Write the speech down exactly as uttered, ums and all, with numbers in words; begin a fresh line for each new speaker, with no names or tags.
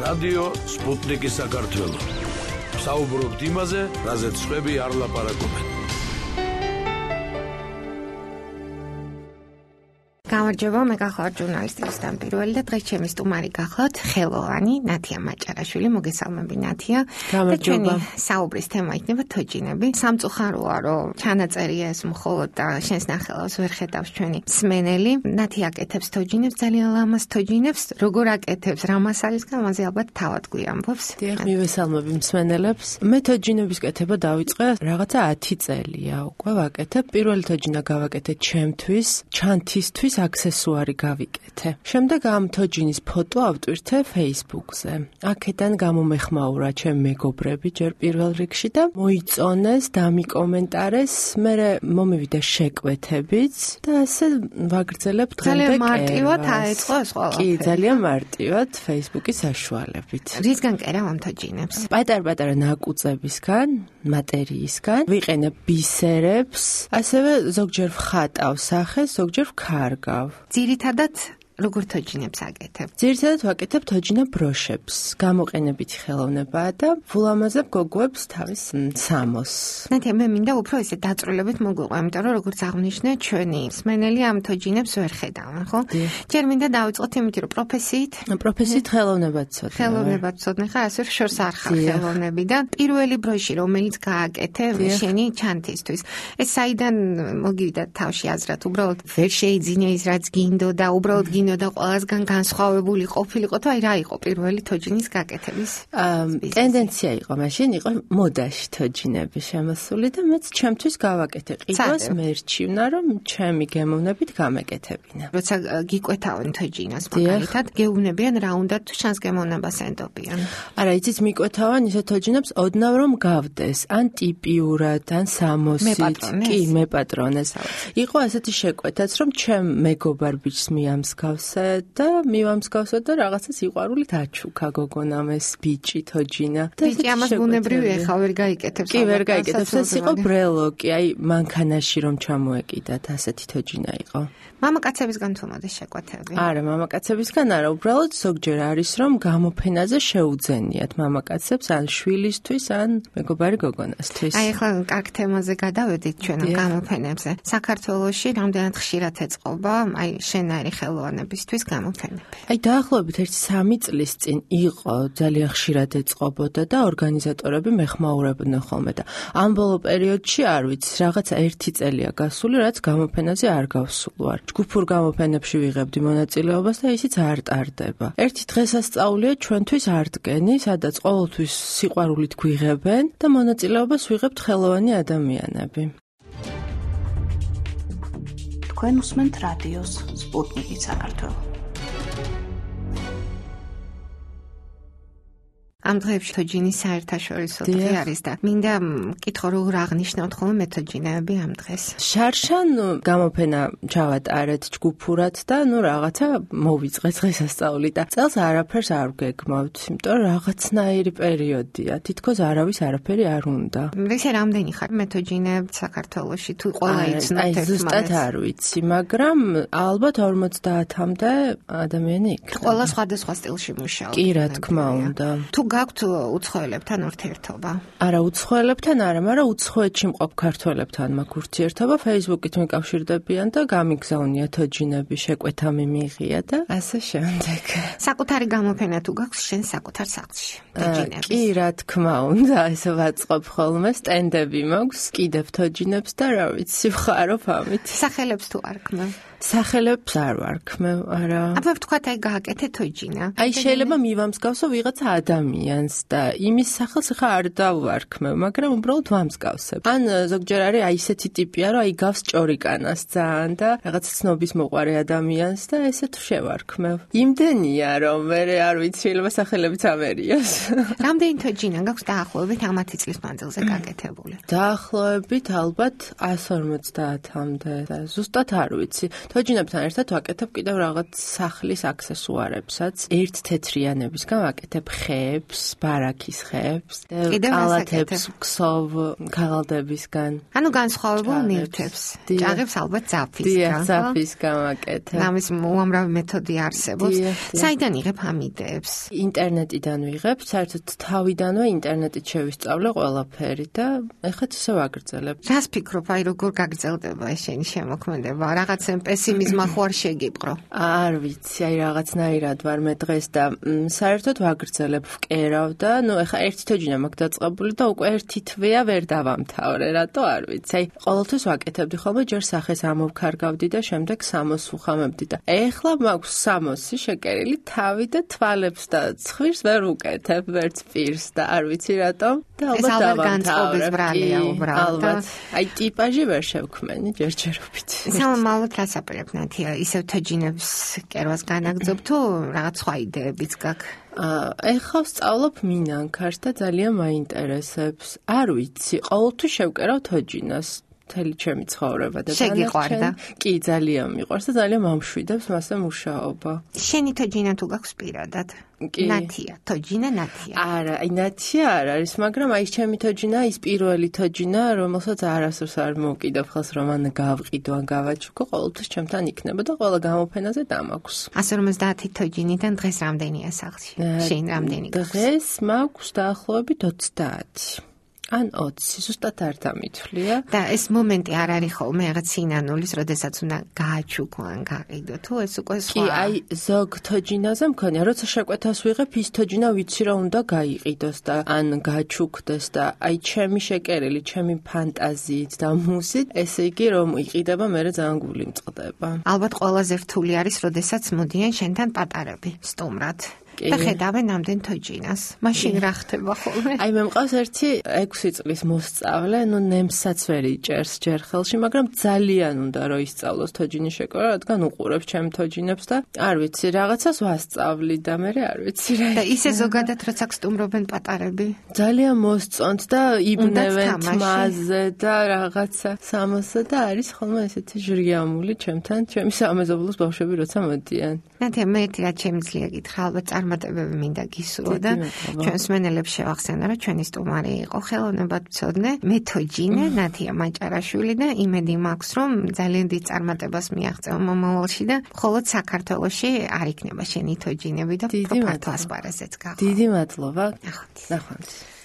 რადიო სპუტნიკი საქართველო. საუბრობთ იმაზე, რაზეც სხვები არ ლაპარაკობენ.
გამარჯობა, მე გახლავთ ჟურნალისტი რუსტამ პირველი და დღეს ჩემი სტუმარი გახლავთ ხელოვანი ნათია მაჭარაშვილი. მოგესალმები ნათია.
გამარჯობა.
საუბრის თემა იქნება თოჯინები. სამწუხაროა, რომ ჩანაწერია ეს მხოლოდ და შენს ნახელავს ვერ ხედავს ჩვენი მსმენელი. ნათია აკეთებს თოჯინებს, ძალიან ლამაზ თოჯინებს. როგორ აკეთებს, რა მასალისგან, ამაზე ალბათ თავად გვიამბობს.
დიახ, მივესალმები მსმენელებს. მე თოჯინების კეთება დავიწყე რაღაცა ათი წელია უკვე ვაკეთებ. პირველი თოჯინა გავაკეთე ჩემთვის, ჩანთისთვის აქსესუარი გავიკეთე. შემდეგ ამ თოჯინის ფოტო ავტვირთე Facebook-ზე. აქედან გამომეხმაურა ჩემი მეგობრები ჯერ პირველ რიგში და მოიწონეს, დამიკომენტარეს, მე მომივიდა შეკვეთებიც და ასე ვაგრძელებ დღემდე.
ძალიან მარტივად აეწყო ეს ყველაფერი.
კი, ძალიან მარტივად Facebook-ის საშუალებით.
რისგან კერავ ამ თოჯინებს?
პატარ-პატარა ნაკუწებისგან, მატერიისგან, ვიყენებ ბისერებს, ასევე ზოგჯერ ვხატავ სახეს, ზოგჯერ ვქარგავ.
ძირითადად როგორ თოჯინებს აკეთებ?
ძირითადად ვაკეთებ თოჯინა ბროშებს, გამოყენებითი ხელოვნებაა და ვულამაზებ გოგოებს თავის სამოს.
ნათია, მე მინდა უფრო ესე დაწვრილებით მოგვიყვა, იმიტომ რომ როგორც აღნიშნე, ჩვენი მსმენელი ამ თოჯინებს ვერ ხედავენ, ხო? ჯერ მინდა დავიწყოთ იმით, რომ პროფესიით,
პროფესიით ხელოვნებად ცოდნა.
ხელოვნებად ცოდნა ხარ, ასე შორს არ ხარ ხელოვნები და პირველი ბროში, რომელიც გააკეთე შენი ჩანთისთვის. ეს საიდან მოგივიდა თავში აზრად? უბრალოდ ვერ შეიძინე ის, რაც გინდოდა, უბრალოდ გინდოდა და ყველასგან განსხვავებული ყოფილიყო თუ აი რა იყო პირველი თოჯინის გაკეთების?
ტენდენცია იყო მაშინ, იყო მოდაში თოჯინები შემოსული და მეც ჩემთვის გავაკეთე. ყიდვას მერჩივნა, რომ ჩემი გემოვნებით გამეკეთებინა.
როცა გიკვეთავენ თოჯინას მაგალითად, გეუბნებიან რა უნდა თუ შანს გემოვნებას ენდობიან.
არა, იცით მიკვეთავენ ისე თოჯინებს ოდნავ რომ გავდეს, ან ტიპიურად, ან სამოსით, კი, მეპატრონეს. იყო ასეთი შეკვეთაც, რომ ჩემ მეგობარ ბიჭს მიამსგავს და მივამსგავსა და რაღაცა სიყვარულით აჩუქა გოგონამ ეს ბიჭი თოჯინა.
ბიჭი ამას ბუნებრივი ეხა ვერ გაიკეთებს.
კი, ვერ გაიკეთებს. ეს იყო ბრელოკი, აი მანქანაში რომ ჩამოეკიდათ, ასეთი თოჯინა იყო.
მამაკაცებისგან თუ მოდის შეკვეთები?
არა, მამაკაცებისგან არა, უბრალოდ ზოგჯერ არის რომ გამოფენაზე შეუძენიათ მამაკაცებს ან შვილისთვის, ან მეგობარი გოგონასთვის.
აი ახლა კარგ თემაზე გადავედით ჩვენ ამ გამოფენებზე. საქართველოში რამდენად ხშირად ეწყობა აი შენაირი ხელოვანებისთვის გამოფენები?
აი დაახლოებით ერთი სამი წლის წინ იყო ძალიან ხშირად ეწყობოდა და ორგანიზატორები მეხმაურებდნენ ხოლმე და ამ ბოლო პერიოდში არ ვიცი, რაღაცა ერთი წელია გასული, რაც გამოფენაზე არ გავსულ ვარ. ჯგუფურ გამოფენებში ვიღებდი მონაწილეობას და ისიც არ ტარდება. ერთი დღესასწაულია ჩვენთვის არდგენი, სადაც ყოველთვის სიყვარულით გვიღებენ და მონაწილეობას ვიღებთ ხელოვანი ადამიანები.
თქვენ უსმენთ რადიოს სპუტნიკი საქართველო.
ამ დღეებში თოჯინის საერთაშორისო დღე არის და მინდა მკითხო როგორ აღნიშნავთ ხოლმე მეთოჯინეები ამ დღეს.
შარშან გამოფენა ჩავატარეთ ჯგუფურად და ნუ რაღაცა მოვიწყე დღესასწაული და წელს არაფერს არ ვგეგმავთ, იმიტომ რომ რაღაცნაირი პერიოდია, თითქოს არავის არაფერი არ უნდა.
ესე რამდენი ხარ მეთოჯინეები საქართველოში თუ ყველა იცნობთ
ერთმანეთს? აი ზუსტად არ ვიცი, მაგრამ ალბათ ორმოცდაათამდე ადამიანი იქნება.
ყველა სხვადასხვა სტილში მუშაობს.
კი, რა თქმა უნდა.
თუ გაქვთ უცხოელებთან ურთიერთობა?
არა, უცხოელებთან არა, მაგრამ უცხოეთში მყოფ ქართველებთან მაქვს ურთიერთობა, Facebook-ით მიკავშირდებიან და გამიგზავნია თოჯინები, შეკვეთა მიმიღია და ასე შემდეგ.
საკუთარი გამოფენა თუ გაქვს შენ საკუთარ სახლში თოჯინების?
კი, რა თქმა უნდა, ესე ვაწყობ ხოლმე, სტენდები მაქვს, კიდევ თოჯინებს და რა ვიცი, ვხარობ ამით.
სახელებს თუ არ ქმევ?
სახელებს არ ვარქმევ, არა.
აბა ვთქვათ, აი გააკეთე თოჯინა.
აი შეიძლება მივამსგავსო ვიღაცა ადამიანს და იმის სახელს ხა არ დავარქმევ, მაგრამ უბრალოდ ვამსგავსებ. ან ზოგჯერ არის აი ესეთი ტიპია, რომ აი გავს ჭორიკანას ძალიან და რაღაც ცნობის მოყარე ადამიანს და ესეთ შევარქმევ. იმდენია, რომ მე არ ვიცი, შეიძლება სახელებიც ამერიოს.
რამდენი თოჯინა გაქვს დაახლოებით ამათი წლის მანძილზე გაკეთებული?
დაახლოებით ალბათ ასორმოცდაათამდე და ზუსტად არ ვიცი. თოჯინებთან ერთად ვაკეთებ კიდევ რაღაც სახლის აქსესუარებსაც. ერთ თეთრიანებისგან ვაკეთებ ხეებს, ბარაქის ხეებს, კალათებს, ქსოვ ქაღალდებისგან.
ანუ განსხვავებულ ნივთებს. ჭაღებს ალბათ ძაფისგან.
ძაფისგან ვაკეთებ.
ამის უამრავი მეთოდი არსებობს. საიდან იღებ ამ იდეებს?
ინტერნეტიდან ვიღებ, საერთოდ თავიდანვე ინტერნეტით შევისწავლე ყველაფერი და ეხლა ისე ვაგრძელებ.
რას ფიქრობ, აი როგორ გაგრძელდება ეს შენი შემოქმედება? რაღაცა პესიმიზმა ხო არ შეგიპყრო?
არ ვიცი, აი რაღაცნაირად ვარ მე დღეს და საერთოდ ვაგრძელებ, ვკერავ და ნუ ეხლა ერთი თოჯინა მაქვს დაწყებული და უკვე ერთი თვეა ვერ დავამთავრე, რატო არ ვიცი. აი ყოველთვის ვაკეთებდი ხოლმე, ჯერ სახეს ამოვქარგავდი და შემდეგ სამოს ვუხამებდი და ეხლა მაქვს სამოსი შეკერილი თავი და თვალებს და ცხვირს ვერ ვუკეთებ, ვერც პირს და არ ვიცი რატომ და ალბათ
დავამთავრებ.
ალბათ. აი ტიპაჟი ვერ შევქმენი ჯერჯერობით.
სამალოთ რას აპირებ ნათია? ისევ თოჯინებს კერვას განაგძობ თუ რაღაც სხვა იდეებიც გაქვს?
ეხლა ვსწავლობ მინანქარს და ძალიან მაინტერესებს. არ ვიცი, ყოველთვის შევკერავ თოჯინას. მთელი ჩემი ცხოვრება და
შეგიყვარდა?
კი, ძალიან მიყვარს და ძალიან მომშვიდებს მასზე მუშაობა.
შენი თოჯინა თუ გაქვს პირადად? ნათია, თოჯინა ნათია.
არა, აი ნათია არ არის, მაგრამ აი ჩემი თოჯინა ის პირველი თოჯინა, რომელსაც არასდროს არ მოვკიდებ ხელს რომ ან გავყიდო, ან გავაჩუქო, ყოველთვის ჩემთან იქნება და ყველა გამოფენაზე დამაქვს.
ასი ორმოცდაათი თოჯინიდან დღეს რამდენია სახლში? შენ რამდენი გაქვს?
დღეს მაქვს დაახლოებით ოცდაათი. ან ოცი, ზუსტად არ დამითვლია.
და ეს მომენტი არ არის ხოლმე რაღაც სინანულის, როდესაც უნდა გააჩუქო ან გაყიდო, თუ ეს უკვე სხვა.
კი, აი ზოგ თოჯინაზე მქონია, როცა შეკვეთას ვიღებ, ის თოჯინა ვიცი რომ უნდა გაიყიდოს და ან გაჩუქდეს და აი ჩემი შეკერილი, ჩემი ფანტაზიით და მუსით, ესე იგი რომ იყიდება, მე ძალიან გული მწყდება.
ალბათ ყველაზე რთული არის, როდესაც მოდიან შენთან პატარები სტუმრად. და ხედავენ ამდენ თოჯინას. მაშინ რა ხდება ხოლმე?
აი მე მყავს ერთი ექვსი წლის მოსწავლე, ნუ ნემსაც ვერ იჭერს ჯერ ხელში, მაგრამ ძალიან უნდა რომ ისწავლოს თოჯინის შეკრება, რადგან უყურებს ჩემ თოჯინებს და არ ვიცი, რაღაცას ვასწავლი და მე არ ვიცი რა.
და ისე ზოგადად როცა გსტუმრობენ პატარები,
ძალიან მოსწონთ და იბნევენ თმაზე და რაღაცა სამოსა და არის ხოლმე ესეთი ჟრიამული ჩემთან, ჩემი სამეზობლოს ბავშვები როცა მოდიან.
ნათია, მე ერთი რაც შემიძლია გითხრა, ალბათ წარმატებები მინდა გისურვო და ჩვენს მენელებს შევახსენო, რომ ჩვენი სტუმარი იყო ხელოვნებათმცოდნე მეთოჯინე ნათია მაჭარაშვილი და იმედი მაქვს, რომ ძალიან დიდ წარმატებას მიაღწევა მომავალში და მხოლოდ საქართველოში არ იქნება შენი თოჯინები და უფრო ფართო ასპარეზეც გახო.
დიდი მადლობა.
ნახვამდის.
ნახვამდის.